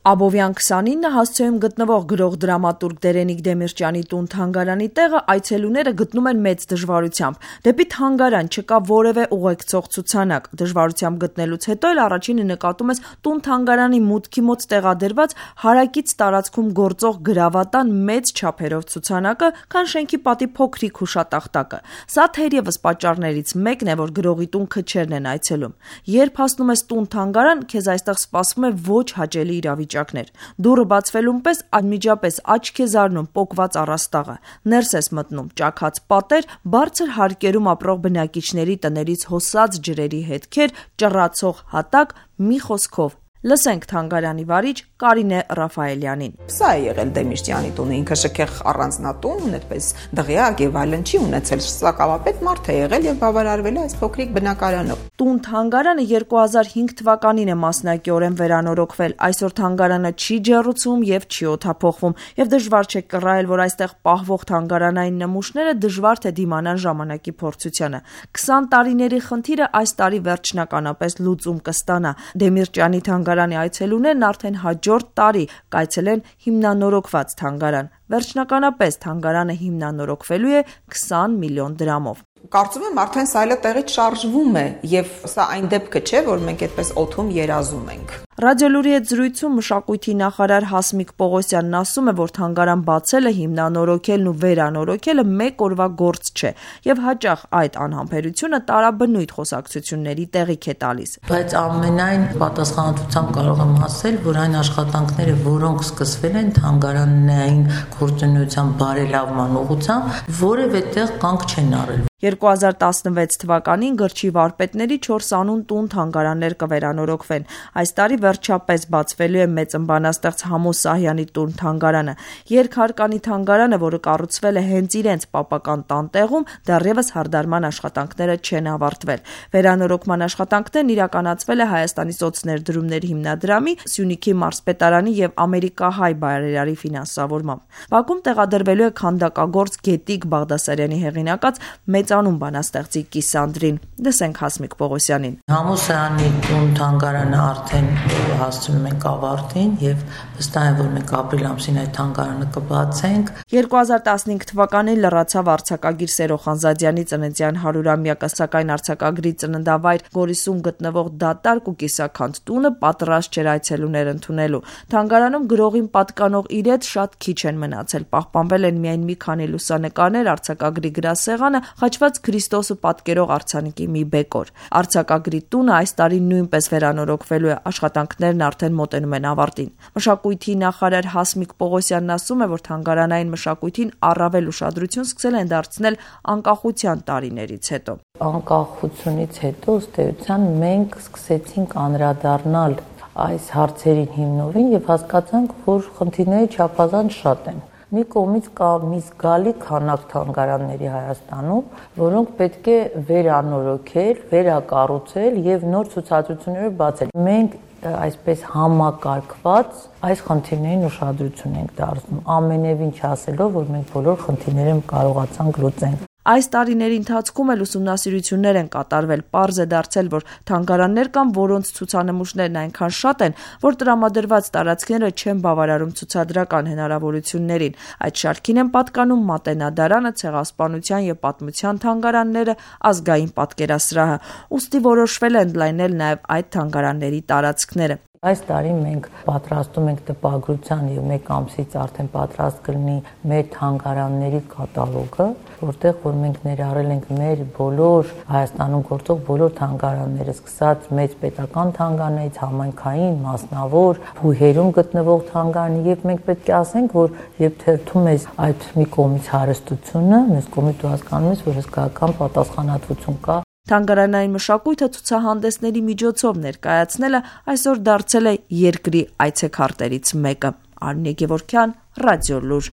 Աբովյան 29 հասցեում գտնվող գրող դրամատուրգ Դերենիկ Դեմիրճյանի տուն-թանգարանի տեղը այցելուները գտնում են մեծ դժվարությամբ։ Դեպի թանգարան չկա որևէ ուղեկցող ցուցանակ։ Դժվարությամբ գտնելուց հետո էլ առաջինը նկատում ես տուն-թանգարանի մուտքի մոտ տեղադրված հարակից տարածքում գործող գրավատան մեծ չափերով ցուցանակը, քան շենքի պատի փոքրիկ հուշատախտակը։ Սա թերևս պատճառներից մեկն է, որ գրողի տուն քչերն են այցելում։ Երբ հասնում ես տուն-թանգարան, քեզ այստեղ սպասվում է ոչ հաճելի իրավիճակներ։ Դուռը բացվելուն պես անմիջապես աչք է զարնում պոկված առաստաղը։ Ներս ես մտնում, ճաքած պատեր, բարձր հարկերում ապրող բնակիչների տներից հոսած ջրերի հետքեր, ճռացող հատակ, մի խոսքով։ Լսենք թանգարանի վարիչ Կարինե Ռաֆայելյանին։ Սա է եղել Դեմիրճյանի տունը, ինքը շքեղ առանձնատուն, այդպես դղյակ եւ այլն չի ունեցել, սակավապետ մարդ է եղել եւ բավարարվել է այս փոքրիկ բնակարանով։ Տուն-թանգարանը 2005 թվականին է մասնակիորեն վերանորոգվել։ Այսօր թանգարանը չի ջեռուցում եւ չի օդափոխվում, եւ դժվար չէ կռահել, որ այստեղ պահվող թանգարանային նմուշները դժվար թե դիմանան ժամանակի փորձությանը։ 20 տարիների խնդիրը այս տարի վերջնականապես լուծում կստանա։ Դեմիրճյանի թանգարանի այցելուներն արդեն հաջորդ տարի կայցելեն հիմնանորոգված թանգարան։ Վերջնականապես թանգարանը հիմնանորոգվելու է 20 միլիոն դրամով։ Կարծում եմ արդեն սա այլը տեղից շարժվում է եւ սա այն դեպքը չէ, որ մենք այդպես օդում երազում ենք։ Ռադիոլուրի հետ զրույցում մշակույթի նախարար Հասմիկ Պողոսյանն ասում է, որ թանգարան բացելը, հիմնանորոգելն ու վերանորոգելը մեկ օրվա գործ չէ եւ հաճախ այդ անհամբերությունը տարաբնույթ խոսակցությունների տեղիք է տալիս։ Բայց ամենայն պատասխանատվությամբ կարող եմ ասել, որ այն աշխատանքները, որոնք սկսվել են թանգարանային գործունեության բարելավման ուղղությամբ, որևէ տեղ կանգ չեն առել։ 2016 թվականին գրչի վարպետների 4 անուն տուն թանգարաններ կվերանորոգվեն։ Այս տարի վերջապես բացվելու է մեծ ըմբանաստեղծ Համո Սահյանի տուն թանգարանը։ Երկհարկանի թանգարանը, որը կառուցվել է հենց իրենց պապական տանտեղում, դեռևս հարդարման աշխատանքները չեն ավարտվել։ Վերանորոգման աշխատանքներն իրականացվել է Հայաստանի սոցներդրումների հիմնադրամի, Սյունիքի մարզպետարանի եւ ամերիկահայ բարերարի ֆինանսավորմամբ։ Բակում տեղադրվելու է քանդակագործ Գետիկ Բաղդասարյանի հեղինակած մեծանուն բանաստեղծի կիսանդրին։ Լսենք Հասմիկ Պողոսյանին։ Համո Սահյանի տուն թանգարանը արդեն հասցնում ենք ավարտին եւ վստահ եմ, որ մենք ապրիլ ամսին այդ թանգարանը կբացենք։ 2015 թվականին լրացավ արձակագիր Սերո Խանզադյանի ծննդյան 100-ամյակը, սակայն արձակագրի ծննդավայր Գորիսում գտնվող դատարկ ու կիսաքանդ տունը պատրաստ չէր այցելուներ ընդունելու։ Թանգարանում գրողին պատկանող իրեդ շատ քիչ են մնացել, պահպանվել են միայն մի քանի լուսանկարներ, արձակագրի գրասեղանը, խաչված Քրիստոսը պատկերող արձանիկի մի բեկոր։ Արձակագրի տունը այս տարի նույնպես վերանորոգվելու է, աշխատանքներն արդեն մոտենում են ավարտին։ Մշակույթի նախարար Հասմիկ Պողոսյանն ասում է, որ թանգարանային մշակույթին առավել ուշադրություն սկսել են դարձնել անկախության տարիներից հետո։ Անկախությունից հետո ըստ էության մենք սկսեցինք անդրադառնալ այս հարցերին հիմնովին եւ հասկացանք, որ խնդիրները չափազանց շատ են։ Մի կողմից կա մի զգալի քանակ թանգարանների Հայաստանում, որոնք պետք է վերանորոգել, վերակառուցել եւ նոր ցուցադրություններ բացել։ Մենք այսպես համակարգված այս խնդիրներին ուշադրություն ենք դարձնում, ամենևին չասելով, որ մենք բոլոր խնդիրները կարողացանք լուծել։ Այս տարիների ընթացքում էլ ուսումնասիրություններ են կատարվել, պարզ է դարձել, որ թանգարաններ կան, որոնց ցուցանմուշներն այնքան շատ են, որ տրամադրված տարածքները չեն բավարարում ցուցադրական հնարավորություններին։ Այդ շարքին են պատկանում Մատենադարանը, Ցեղասպանության եւ պատմության թանգարանները, Ազգային պատկերասրահը։ Ուստի որոշվել է ընդլայնել նաեւ այդ թանգարանների տարածքները։ Այս տարի մենք պատրաստում ենք տպագրության եւ մեկ ամսից արդեն պատրաստ կլինի մեր թանգարանների կատալոգը, որտեղ որ մենք ներառել ենք մեր բոլոր Հայաստանում գործող բոլոր թանգարանները, սկսած մեծ պետական թանգարաններից, համայնքային, մասնավոր, բուհերում գտնվող թանգարանի եւ մենք պետք է ասենք, որ երբ թերթում ես այդ մի կողմից հարստությունը, մյուս կողմից դու հասկանում ես, որ հսկայական պատասխանատվություն կա։ Թանգարանային մշակույթը ցուցահանդեսների միջոցով ներկայացնելը այսօր դարձել է երկրի այցեքարտերից մեկը։ Արմինե Գևորգյան, Ռադիոլուր։